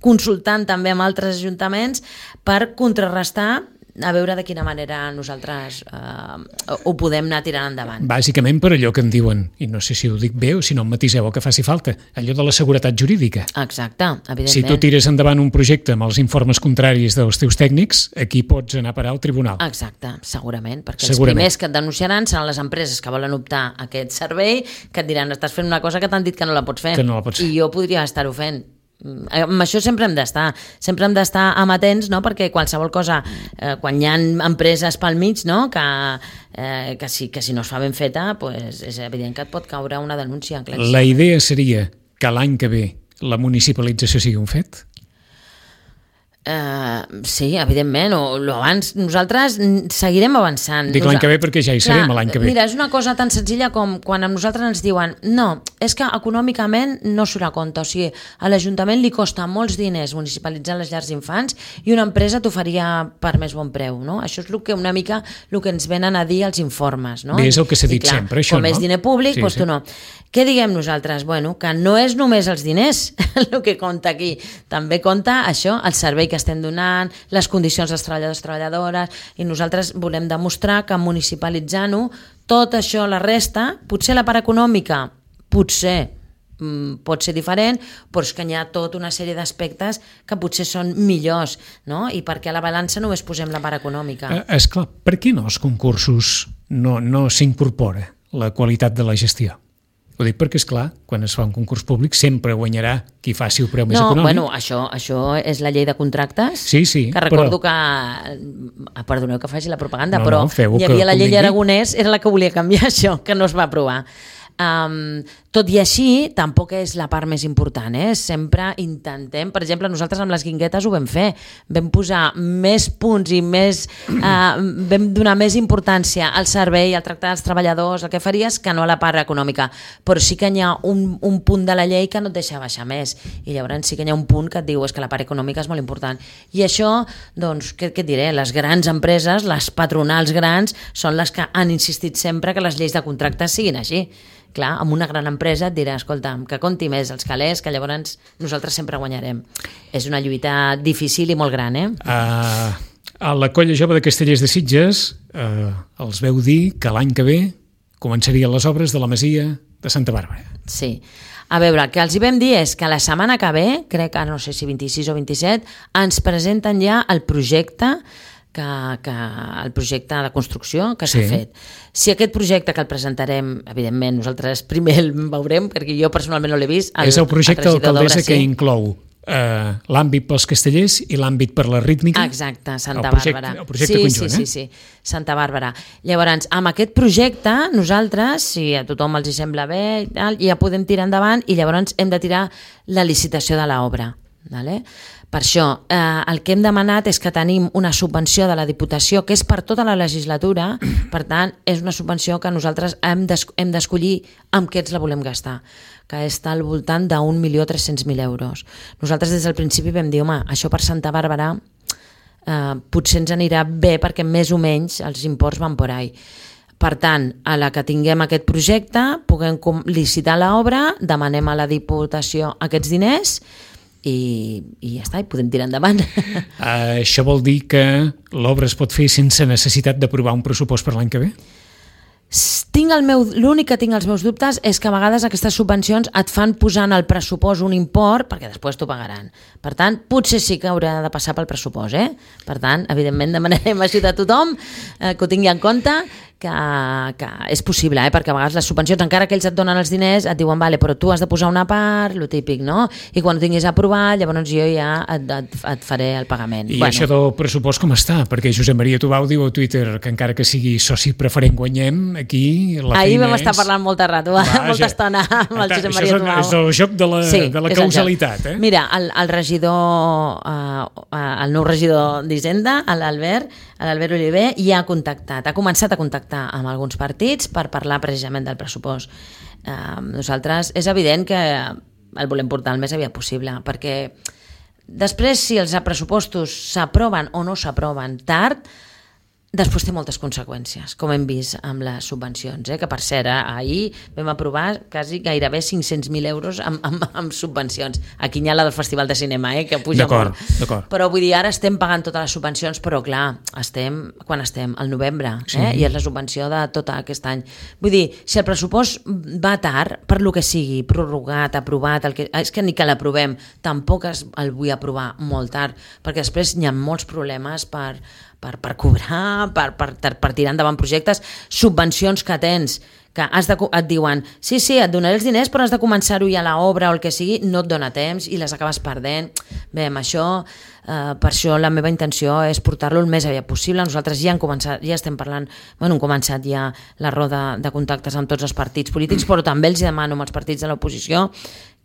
consultant també amb altres ajuntaments per contrarrestar a veure de quina manera nosaltres ho podem anar tirant endavant. Bàsicament per allò que em diuen, i no sé si ho dic bé o si no em matiseu el que faci falta, allò de la seguretat jurídica. Exacte, evidentment. Si tu tires endavant un projecte amb els informes contraris dels teus tècnics, aquí pots anar a parar al tribunal. Exacte, segurament, perquè els primers que et denunciaran seran les empreses que volen optar a aquest servei, que et diran, estàs fent una cosa que t'han dit que no la pots fer. Que no la pots fer. I jo podria estar-ho fent. Amb això sempre hem d'estar amatents, no? Perquè qualsevol cosa, quan hi ha empreses pel mig, no? que si no es fa ben feta, pues és evident que et pot caure una denúncia. La idea seria que l'any que ve la municipalització sigui un fet? Sí, evidentment, o abans. Nosaltres seguirem avançant. Dic l'any que ve perquè ja hi serem l'any que ve. Mira, és una cosa tan senzilla com quan a nosaltres ens diuen no, és que econòmicament no surt a compte, o sigui, a l'Ajuntament li costa molts diners municipalitzar les llars d'infants i una empresa t'ho faria per més bon preu, no? Això és una mica el que ens venen a dir els informes, no? Bé, és el que s'ha dit sempre, això, no? Com és diner públic, doncs tu no. Què diguem nosaltres? Bueno, que no és només els diners el que compta aquí, també compta això, el servei que estem donant, les condicions dels treballadors i treballadores, i nosaltres volem demostrar que municipalitzant-ho, tot això, la resta, potser la part econòmica, potser pot ser diferent, però és que hi ha tota una sèrie d'aspectes que potser són millors, no? I perquè a la balança només posem la part econòmica. Esclar, per què no als concursos no s'incorpora la qualitat de la gestió? Ho dic perquè, esclar, quan es fa un concurs públic sempre guanyarà qui faci el preu més econòmic. Bueno, això és la llei de contractes, sí, que recordo que... Perdoneu que faci la propaganda, però hi havia la llei Aragonès, era la que volia canviar això, que no es va aprovar. Tot i així, tampoc és la part més important, sempre intentem, per exemple, nosaltres amb les guinguetes ho vam fer, vam posar més punts i vam donar més importància al servei, al tractar dels treballadors, el que faries, que no a la part econòmica, però sí que hi ha un punt de la llei que no et deixa baixar més, i llavors sí que hi ha un punt que et diu és que la part econòmica és molt important, i això, doncs, què et diré, les grans empreses, les patronals grans, són les que han insistit sempre que les lleis de contractes siguin així. Clar, amb una gran empresa et dirà, escolta, que compti més els calés, que llavors nosaltres sempre guanyarem. És una lluita difícil i molt gran, A la Colla Jove de Castellers de Sitges els veu dir que l'any que ve començarien les obres de la Masia de Santa Bàrbara. Sí. A veure, el que els hi vam dir és que la setmana que ve, crec que no sé si 26 o 27, ens presenten ja el projecte el projecte de construcció que s'ha fet. Si aquest projecte que el presentarem, evidentment, nosaltres primer el veurem, perquè jo personalment no l'he vist. És el projecte d'alcaldessa que inclou l'àmbit pels castellers i l'àmbit per la rítmica. Exacte, Santa Bàrbara. El projecte conjunt, Sí, Santa Bàrbara. Llavors, amb aquest projecte, nosaltres, si a tothom els hi sembla bé, ja podem tirar endavant i llavors hem de tirar la licitació de l'obra. Vale? Per això, el que hem demanat és que tenim una subvenció de la Diputació que és per tota la legislatura, per tant, és una subvenció que nosaltres hem d'escollir amb què ens la volem gastar, que està al voltant d'1.300.000 euros. Nosaltres des del principi vam dir, home, això per Santa Bàrbara potser ens anirà bé perquè més o menys els imports van por ahí. Per tant, a la que tinguem aquest projecte, puguem licitar l'obra, demanem a la Diputació aquests diners i ja està, i podem tirar endavant. Això vol dir que l'obra es pot fer sense necessitat d'aprovar un pressupost per l'any que ve? L'únic que tinc els meus dubtes és que a vegades aquestes subvencions et fan posar en el pressupost un import perquè després t'ho pagaran. Per tant, potser sí que haurà de passar pel pressupost. Per tant, evidentment demanarem ajuda a tothom que ho tingui en compte, que és possible, perquè a vegades les subvencions, encara que ells et donen els diners, et diuen, vale, però tu has de posar una part, lo típic, no? I quan ho tinguis aprovat, llavors jo ja et faré el pagament. I això del pressupost com està? Perquè Josep Maria Tubau diu a Twitter que encara que sigui soci preferent guanyem, aquí la feina ahir vam estar parlant molta rato, molta estona amb el Josep Maria Tubau. És el joc de la causalitat. Mira, el regidor, el nou regidor d'Hisenda, l'Albert Oliver, ja ha començat a contactar amb alguns partits per parlar precisament del pressupost. Nosaltres és evident que el volem portar el més aviat possible, perquè després si els pressupostos s'aproven o no s'aproven tard, Després té moltes conseqüències, com hem vist amb les subvencions, que per cert, ahir vam aprovar quasi gairebé 500.000 euros amb subvencions. Aquí hi ha la del Festival de Cinema, que puja molt. D'acord. Però vull dir, ara estem pagant totes les subvencions, però clar, quan estem? Al novembre, Sí. I és la subvenció de tot aquest any. Vull dir, si el pressupost va tard, per lo que sigui, prorrogat, aprovat, és que ni que l'aprovem, tampoc el vull aprovar molt tard, perquè després hi ha molts problemes per cobrar, per tirar endavant projectes, subvencions que tens, que et diuen sí, et donaré els diners però has de començar-ho ja a l'obra o el que sigui, no et dona temps i les acabes perdent. Bé, amb això, per això la meva intenció és portar-lo el més aviat possible. Nosaltres ja estem parlant, hem començat ja la roda de contactes amb tots els partits polítics, però també els demano als partits de l'oposició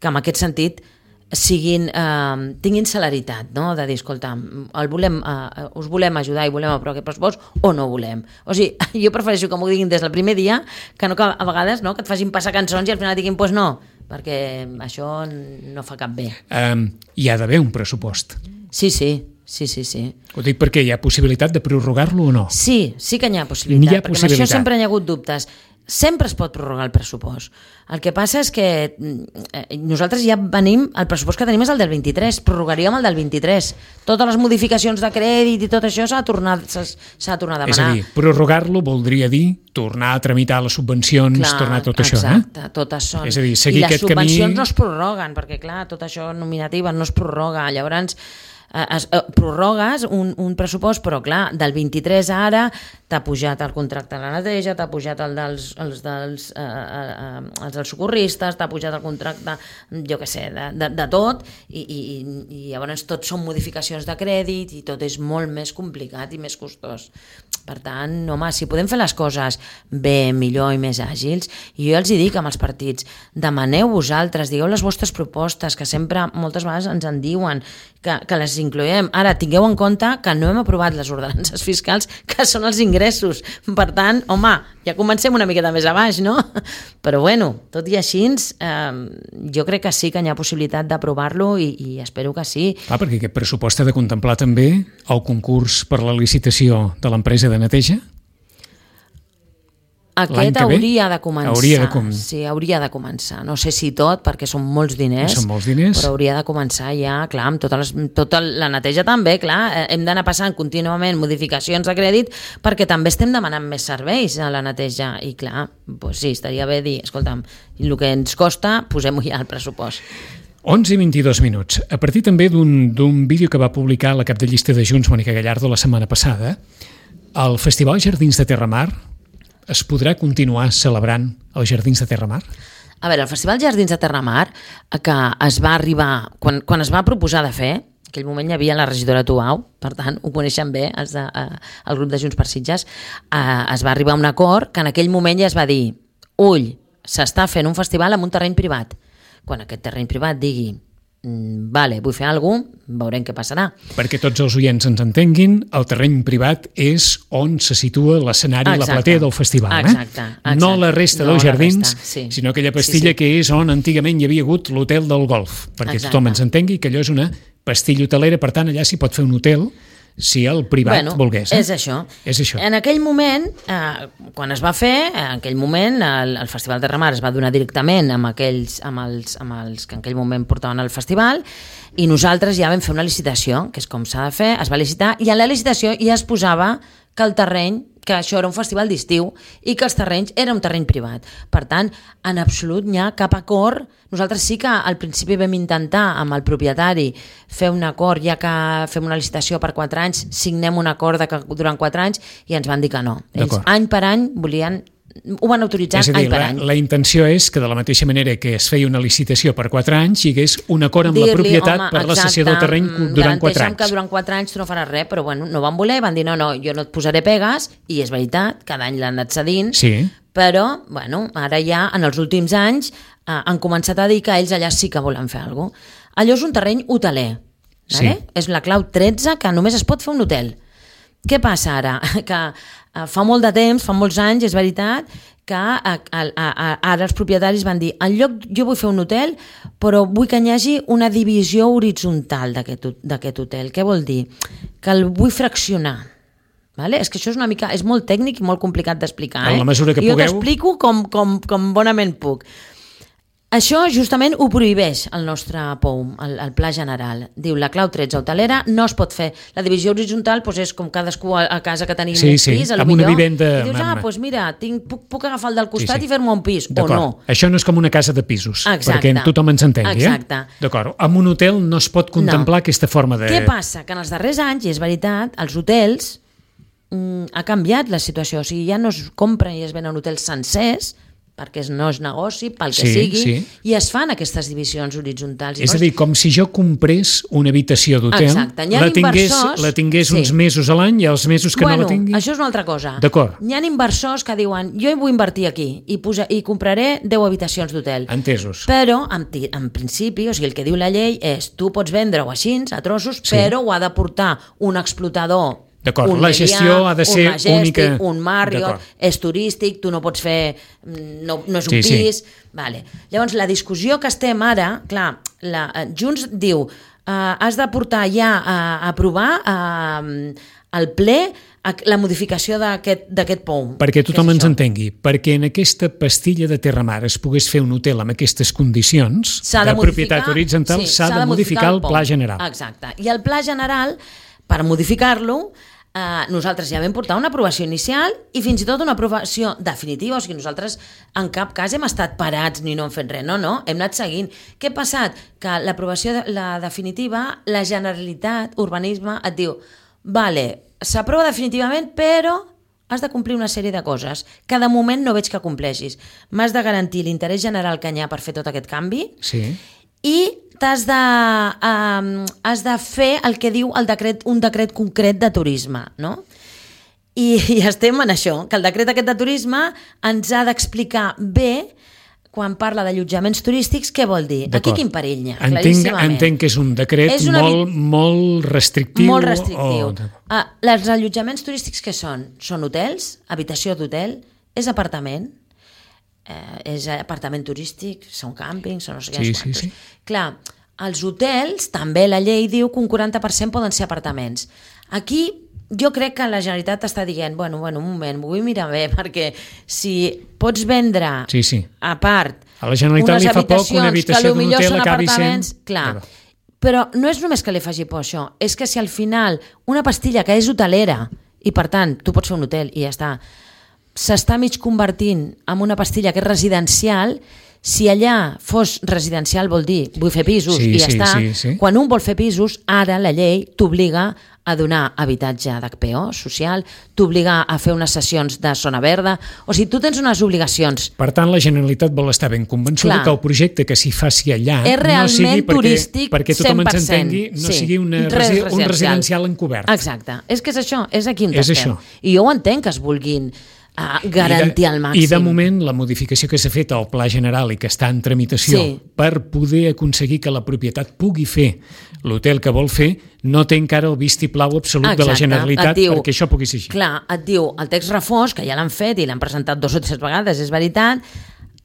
que en aquest sentit tinguin celeritat, no? De dir, escolta, us volem ajudar i volem aprovar aquest pressupost o no volem. O sigui, jo prefereixo que m'ho diguin des del primer dia que no que a vegades que et facin passar cançons i al final diguin pues no, perquè això no fa cap bé. Hi ha d'haver un pressupost. Sí. Ho dic perquè hi ha possibilitat de prorrogar-lo o no? Sí que n'hi ha possibilitat, perquè amb això sempre n'hi ha hagut dubtes. Sempre es pot prorrogar el pressupost. El que passa és que nosaltres ja venim, el pressupost que tenim és el del 23, prorrogaríem el del 23. Totes les modificacions de crèdit i tot això s'ha de tornar a demanar. És a dir, prorrogar-lo voldria dir tornar a tramitar les subvencions, tornar a tot això. Exacte, totes són. És a dir, seguir aquest camí... I les subvencions no es prorroguen, perquè clar, tot això nominativa no es prorroga. Llavors, prorrogues un pressupost, però clar, del 23 a ara t'ha pujat el contracte de la neteja, t'ha pujat els dels socorristes, t'ha pujat el contracte, jo què sé, de tot, i llavors tot són modificacions de crèdit i tot és molt més complicat i més costós. Per tant, home, si podem fer les coses bé, millor i més àgils, i jo els hi dic amb els partits, demaneu vosaltres, digueu les vostres propostes, que sempre moltes vegades ens en diuen, que les incloem. Ara, tingueu en compte que no hem aprovat les ordenances fiscals, que són els ingressos. Per tant, home, ja comencem una miqueta més a baix, no? Però bueno, tot i així, jo crec que sí que hi ha possibilitat d'aprovar-lo i espero que sí. Perquè aquest pressupost ha de contemplar també el concurs per la licitació de l'empresa de neteja? Aquest hauria de començar. Sí, hauria de començar. No sé si tot, perquè són molts diners, però hauria de començar ja, clar, amb tota la neteja també, clar, hem d'anar passant contínuament modificacions de crèdit perquè també estem demanant més serveis a la neteja i clar, doncs sí, estaria bé dir, escolta'm, el que ens costa, posem-ho ja al pressupost. 11 i 22 minuts. A partir també d'un vídeo que va publicar la cap de llista de Junts, Mònica Gallardo, la setmana passada, el Festival Jardins de Terramar es podrà continuar celebrant els Jardins de Terramar? A veure, el Festival Jardins de Terramar, que es va arribar, quan es va proposar de fer, en aquell moment hi havia la regidora Tuau, per tant, ho coneixen bé el grup de Junts per Sitges, es va arribar a un acord que en aquell moment ja es va dir s'està fent un festival en un terreny privat. Quan aquest terreny privat digui vale, vull fer alguna cosa, veurem què passarà. Perquè tots els oients ens entenguin, el terreny privat és on se situa l'escenari, la platea del festival. Exacte. No la resta dels jardins, sinó aquella pastilla que és on antigament hi havia hagut l'hotel del golf, perquè tothom ens entengui que allò és una pastilla hotelera, per tant allà s'hi pot fer un hotel si el privat volgués. És això. En aquell moment, quan es va fer, en aquell moment el Festival de Terramar es va donar directament amb els que en aquell moment portaven el festival i nosaltres ja vam fer una licitació, que és com s'ha de fer, es va licitar i en la licitació ja es posava que el terreny, que això era un festival d'estiu i que els terrenys era un terreny privat. Per tant, en absolut n'hi ha cap acord. Nosaltres sí que al principi vam intentar amb el propietari fer un acord, ja que fem una licitació per 4 anys, signem un acord durant 4 anys i ens van dir que no. Ells any per any ho van autoritzar any per any. La intenció és que de la mateixa manera que es feia una licitació per 4 anys hi hagués un acord amb la propietat per la cessió del terreny durant 4 anys. Garanteixen que durant 4 anys tu no faràs res, però bueno, no van voler, van dir no, jo no et posaré pegues i és veritat, cada any l'han anat cedint, però bueno, ara ja en els últims anys han començat a dir que ells allà sí que volen fer alguna cosa. Allò és un terreny hoteler, és la clau 13 que només es pot fer un hotel. Què passa ara? Que fa molt de temps, fa molts anys, és veritat, que ara els propietaris van dir en lloc, jo vull fer un hotel, però vull que hi hagi una divisió horitzontal d'aquest hotel. Què vol dir? Que el vull fraccionar. Vale? És que això és molt tècnic i molt complicat d'explicar. En la mesura que jo pugueu. t'explico com bonament puc. Això justament ho prohibeix el nostre POUM, el Pla General. Diu, la clau 13 hotelera no es pot fer. La divisió horitzontal és com cadascú a casa que tenim un pis, amb una vivenda. I dius, doncs mira, puc agafar el del costat i fer-me un pis, o no. Això no és com una casa de pisos, perquè tothom ens entengui. Exacte. D'acord, amb un hotel no es pot contemplar aquesta forma de... Què passa? Que en els darrers anys, i és veritat, els hotels ha canviat la situació. O sigui, ja no es compren i es venen hotels sencers, perquè no és negoci, pel que sigui, i es fan aquestes divisions horitzontals. És a dir, com si jo comprés una habitació d'hotel, la tingués uns mesos a l'any i els mesos que no la tingui... Això és una altra cosa. D'acord. Hi ha inversors que diuen, jo vull invertir aquí i compraré 10 habitacions d'hotel. Entesos. Però, en principi, o sigui, el que diu la llei és tu pots vendre-ho així, a trossos, però ho ha de portar un explotador. D'acord, la gestió ha de ser un Majestic, única. Un Marriott, és turístic, tu no pots fer... No és un pis... Vale. Llavors, la discussió que estem ara... Clar, Junts diu has de portar ja a aprovar al ple la modificació d'aquest POUM. Perquè tothom ens entengui, perquè en aquesta pastilla de Terra Mar es pogués fer un hotel amb aquestes condicions de propietat horitzontal, s'ha de modificar el Pla General. Exacte. I el Pla General, per modificar-lo, nosaltres ja vam portar una aprovació inicial i fins i tot una aprovació definitiva, o sigui, nosaltres en cap cas hem estat parats ni no hem fet res, no, hem anat seguint. Què ha passat? Que l'aprovació, la definitiva, la Generalitat, Urbanisme, et diu, vale, s'aprova definitivament, però has de complir una sèrie de coses que de moment no veig que compleixis. M'has de garantir l'interès general que hi ha per fer tot aquest canvi i has de fer el que diu un decret concret de turisme, no? I estem en això, que el decret aquest de turisme ens ha d'explicar bé, quan parla d'allotjaments turístics, què vol dir? Aquí quin perill hi ha, claríssimament. Entenc que és un decret molt restrictiu. Molt restrictiu. Els allotjaments turístics què són? Són hotels, habitació d'hotel, és apartament, és apartament turístic, són càmpings, són no sé què quantos. Clar, els hotels, també la llei diu que un 40% poden ser apartaments. Aquí jo crec que la Generalitat està dient, bueno, un moment, m'ho vull mirar bé, perquè si pots vendre a part a la Generalitat li fa poc que una habitació d'un hotel acabi sent... Clar, però no és només que li faci por això, és que si al final una pastilla que és hotelera, i per tant tu pots fer un hotel i ja està, s'està mig convertint en una pastilla que és residencial, si allà fos residencial vol dir vull fer pisos i ja està. Quan un vol fer pisos, ara la llei t'obliga a donar habitatge d'HPO social, t'obliga a fer unes sessions de zona verda, o sigui, tu tens unes obligacions. Per tant, la Generalitat vol estar ben convençuda que el projecte que s'hi faci allà és realment turístic 100%. Perquè tothom ens entengui, no sigui un residencial encobert. Exacte, és que és això, és aquí on estem. I jo ho entenc que es vulguin garantir al màxim. I de moment la modificació que s'ha fet al Pla General i que està en tramitació per poder aconseguir que la propietat pugui fer l'hotel que vol fer no té encara el vistiplau absolut de la Generalitat perquè això pugui ser així. Clar, et diu el text refós, que ja l'han fet i l'han presentat 2 o 3 vegades, és veritat,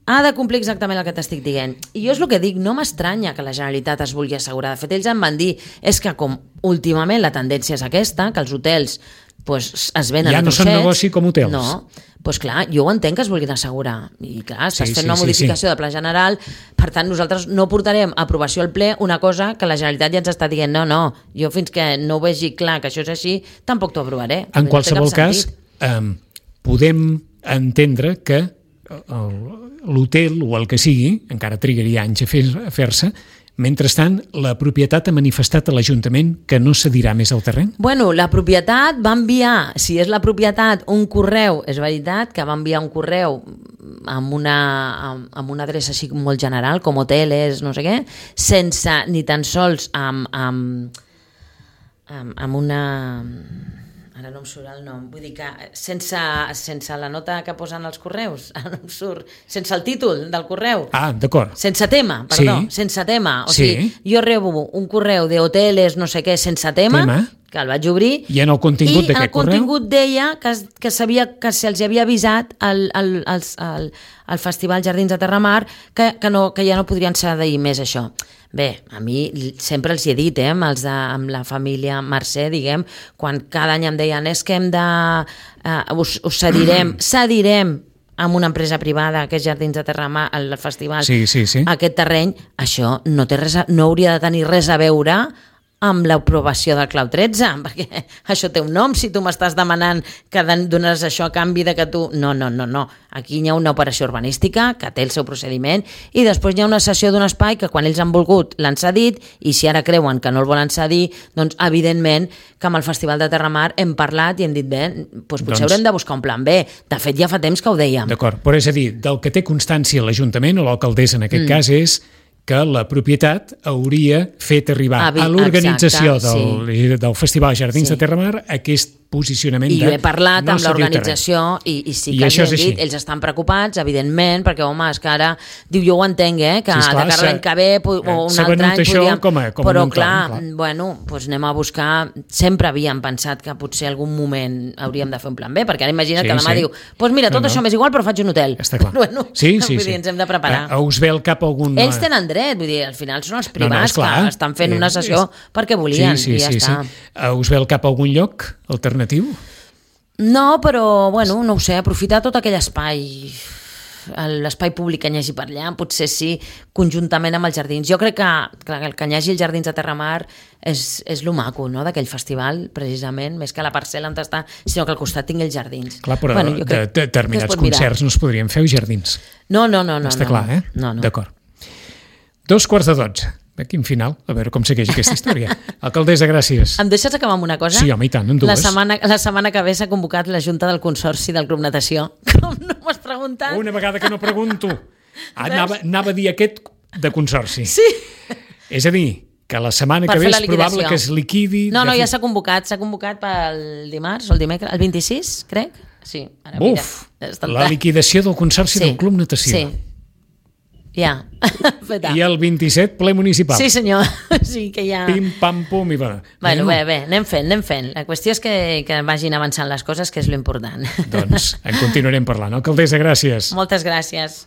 ha de complir exactament el que t'estic dient. I jo és el que dic, no m'estranya que la Generalitat es vulgui assegurar. De fet, ells em van dir, és que com últimament la tendència és aquesta, que els hotels es venen a trossets... Ja no són negoci com hotels. No, doncs clar, jo ho entenc que es vulguin assegurar. I clar, estàs fent una modificació de Pla General, per tant nosaltres no portarem a aprovació al ple una cosa que la Generalitat ja ens està dient no, jo fins que no ho vegi clar que això és així, tampoc t'ho aprovaré. En qualsevol cas, podem entendre que l'hotel o el que sigui, encara trigaria anys a fer-se, mentrestant, la propietat ha manifestat a l'Ajuntament que no cedirà més el terreny? Bueno, la propietat va enviar, si és la propietat, un correu, és veritat que va enviar un correu amb una adreça així molt general, com hoteles, no sé què, sense ni tan sols amb una... Ara no em surt el nom, vull dir que sense la nota que posen els correus, no em surt, sense el títol del correu. Ah, d'acord. Sense tema, perdó, sense tema. O sigui, jo rebo un correu de hoteles, no sé què, sense tema, que el vaig obrir. I en el contingut d'aquest correu? I el contingut deia que se'ls havia avisat al Festival Jardins de Terramar que ja no podrien cedir més això. Bé, a mi sempre els hi he dit, amb la família Mercè, diguem, quan cada any em deien és que hem de... us cedirem amb una empresa privada, que és Jardins de Terramar, el festival, aquest terreny, això no hauria de tenir res a veure amb l'aprovació del Clau 13, perquè això té un nom, si tu m'estàs demanant que dones això a canvi de que tu... No. Aquí hi ha una operació urbanística que té el seu procediment i després hi ha una cessió d'un espai que quan ells han volgut l'han cedit i si ara creuen que no el volen cedir, doncs evidentment que amb el Festival de Terramar hem parlat i hem dit bé, potser haurem de buscar un plan B. De fet, ja fa temps que ho dèiem. D'acord, però és a dir, del que té constància l'Ajuntament o l'alcaldessa en aquest cas és que la propietat hauria fet arribar a l'organització del Festival Jardins de Terramar aquest posicionament i jo he parlat amb l'organització i sí que els he dit, ells estan preocupats evidentment, perquè home, és que ara diu, jo ho entenc, que de cara l'any que ve o un altre any podríem, però clar, bueno, doncs anem a buscar, sempre havíem pensat que potser algun moment hauríem de fer un plan B, perquè ara imagina't que demà diu, doncs mira, tot això m'és igual però faig un hotel. Està clar. Bueno, ens hem de preparar. Us ve al cap algun... Ells tenen dret, vull dir, al final són els privats que estan fent una sessió perquè volien i ja està. Us ve al cap algun lloc alternatiu? No, però, bueno, no ho sé, aprofitar tot aquell espai, l'espai públic que hi hagi per allà, potser sí, conjuntament amb els jardins. Jo crec que el que hi hagi els Jardins de Terramar és lo maco, no?, d'aquell festival, precisament, més que la parcella on està, sinó que al costat tingui els jardins. Clar, però determinats concerts no es podrien fer als jardins. No. Està clar, eh? No. D'acord. 2:45. Quin final, a veure com segueix aquesta història. Alcaldessa, gràcies. Em deixes acabar amb una cosa? Sí, home, i tant, en dues. La setmana que ve s'ha convocat la Junta del Consorci del Club Natació. Com no m'has preguntat? Una vegada que no pregunto. Anava a dir aquest de consorci. Sí. És a dir, que la setmana que ve és probable que es liquidi... No, ja s'ha convocat pel dimarts o el dimecres, el 26, crec. Sí. Buf, la liquidació del Consorci del Club Natació. Sí. Ja, feta. I el 27, ple municipal. Sí, senyor. Sí, que ja... Pim, pam, pum i va. Bueno, bé, anem fent. La qüestió és que vagin avançant les coses, que és l'important. Doncs en continuarem parlant. Alcaldessa, gràcies. Moltes gràcies.